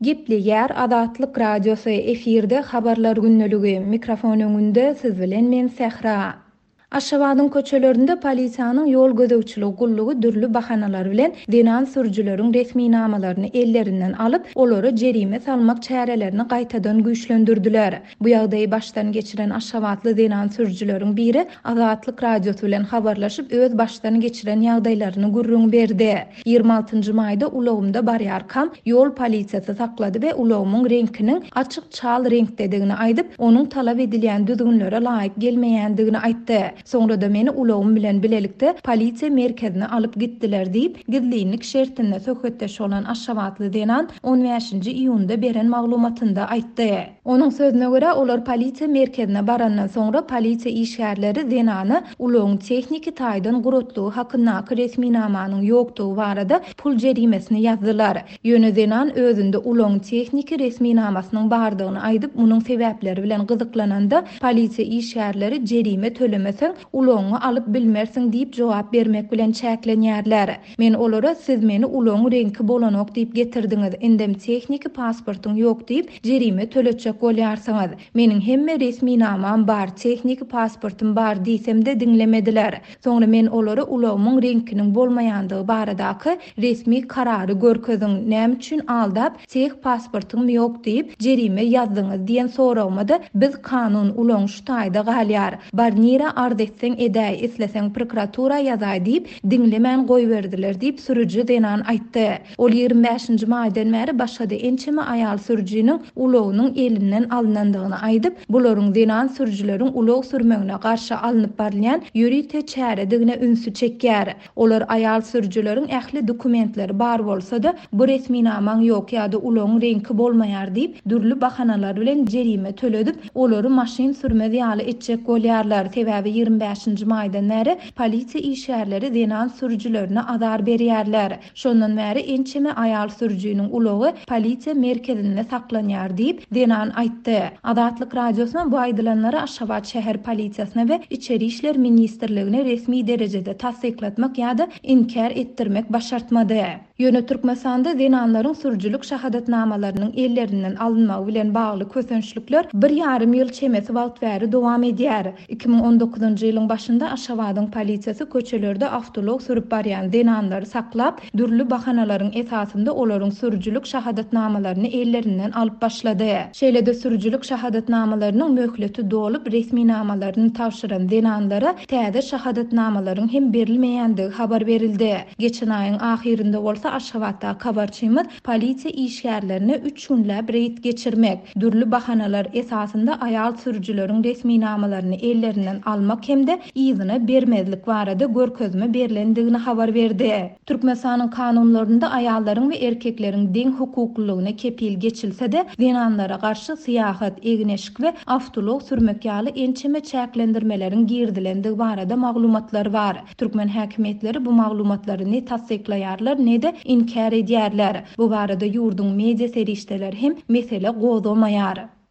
Gepleýär Azatlyk Radiosy, efirde Habarlar gündeligi, mikrofon öňünde siz bilen men Sähra. Aşgabadyň köçelerinde polisiýanyň ýol gözegçiligi gullugy dürli bahanalar bilen zenan sürüjileriň resminamalaryny ellerinden alyp, olara jerime salmak çärelerini gaýtadan güýçlendirdiler. Bu ýagdaýy başdan geçiren aşgabatly zenan sürüjileriň biri Azatlyk Radiosy bilen habarlaşyp, öz başdan geçiren ýagdaýlaryny gürrüň berdi. 26 njy maýda ulagymda barýarkam, ýol polisiýasy saklady we ulagymyň reňkiniň açyk çal reňkdedigini aýdyp, onuň talap edilýän düzgünlere laýyk gelmeýändigini aýtdy. Soňra-da meni ulagym bilen bilelikde polisiýa merkezine alyp gitdiler diýip, gizlinlik şertinde söhbetdeş bolan aşgabatly zenan on bäşinji iýunda beren maglumatynda aýtdy. Onuň sözüne görä, olar polisiýa merkezine barandan soňra polisiýa işgärleri zenana ulagyň tehniki taýdan guratlygy hakyndaky resminamanyň ýokdugy barada pul jerimesini ýazdylar. Ýöne zenan özünde ulagyň tehniki resminamasynyň bardygyny aýdyp, munuň sebäpleri bilen gyzyklananda, polisiýa işgärleri jerime tölemeseň, ulagyňy alyp bilmersiň diýip jogap bermek bilen çäklenýärler. Men olara siz meni ulagyň reňki bolanok diýip getirdiňiz, indem tehniki pasportyň ýok diýip, jerime töletjek bolýarsyňyz. Meniň hemme resminamam bar, tehniki pasportym bar diýsem-de diňlemediler. Soňra men olara ulagymyň reňkiniň bolmaýandygy baradaky resmi karary görkeziň, näme üçin aldap, teh pasportyňm ýok diýip, jerime ýazdyňyz diýen soragyma-da biz kanun, ulagyň şu taýda galýar. Bar nirä arz etseň edäý, isleseň prokuratura ýazaý diýip, diňlemän goýberdiler diýip, sürüji zenan aýtdy. Ol 25 nji maýdan bäri başga-da ençeme aýal sürüjiniň ulagynyň elinden alnandygyny aýdyp, bularyň zenan sürüjileriň ulag sürmegine garşy alnyp barylýan ýörite çäredigine ünsi çekýär. Olar aýal sürüjileriň ähli dokumentleri bar bolsa-da, bu resminamaň ýok ýa-da ulagyň reňki bolmaýar diýip, dürli bahanalar bilen jerime töledip, olary maşyn sürmez ýaly etjek bolýarlar. Sebäbi 25 nji maýdan bäri polisiýa işgärleri zenan sürüjilerine azar berýärler. Şondan bäri ençeme aýal sürüjiniň ulagy polisiýa merkezinde saklanýar diýip, zenan aýtdy. Azatlyk Radiosyna bu aýdylanlary Aşgabat şäher polisiýasyna we Içeri işler ministrligine resmi derejede tassyklatmak ýa-da inkär etdirmek başartmady. Ýöne Türkmenistanda zenanlaryň sürüjilik şahadatnamalarynyň ellerinden alynmagy bilen bagly kösençlikler bir ýarym ýyl çemesi wagt bäri dowam edýär. 2019-njy ýylyň başynda Aşgabadyň polisiýasy köçelerde awtoulag sürüp barýan zenanlary saklap, dürli bahanalaryň esasynda olaryň sürüjilik şahadatnamalaryny ellerinden alyp başlady. Şeýle-de sürüjilik şahadatnamalarynyň möhleti dolup, resminamalaryny tabşyran zenanlara täze şahadatnamalaryň hem berilmeýändigi habar berildi. Geçen aýyň ahyrynda bolsa Aşgabatdaky habarçymyz polisiýa işgärlerine üç günläp reýd geçirmek, dürli bahanalar esasynda aýal sürüjileriň resminamalaryny ellerinden almak hem-de yzyna bermezlik barada görkezme berlendigini habar berdi. Türkmenistanyň kanunlarynda aýallaryň we erkekleriň deň hukuklylygyna kepil geçilse-de, zenanlara garşy syýahat, egin-eşik we awtoulag sürmek ýaly ençeme çäklendirmeleriň girizilendigi barada maglumatlar bar. Türkmen häkimiýetleri bu maglumatlary ne tassyklaýarlar, ne-de inkär edýärler. Bu barada ýurduň media serişdeleri hem mesele gozgamaýar.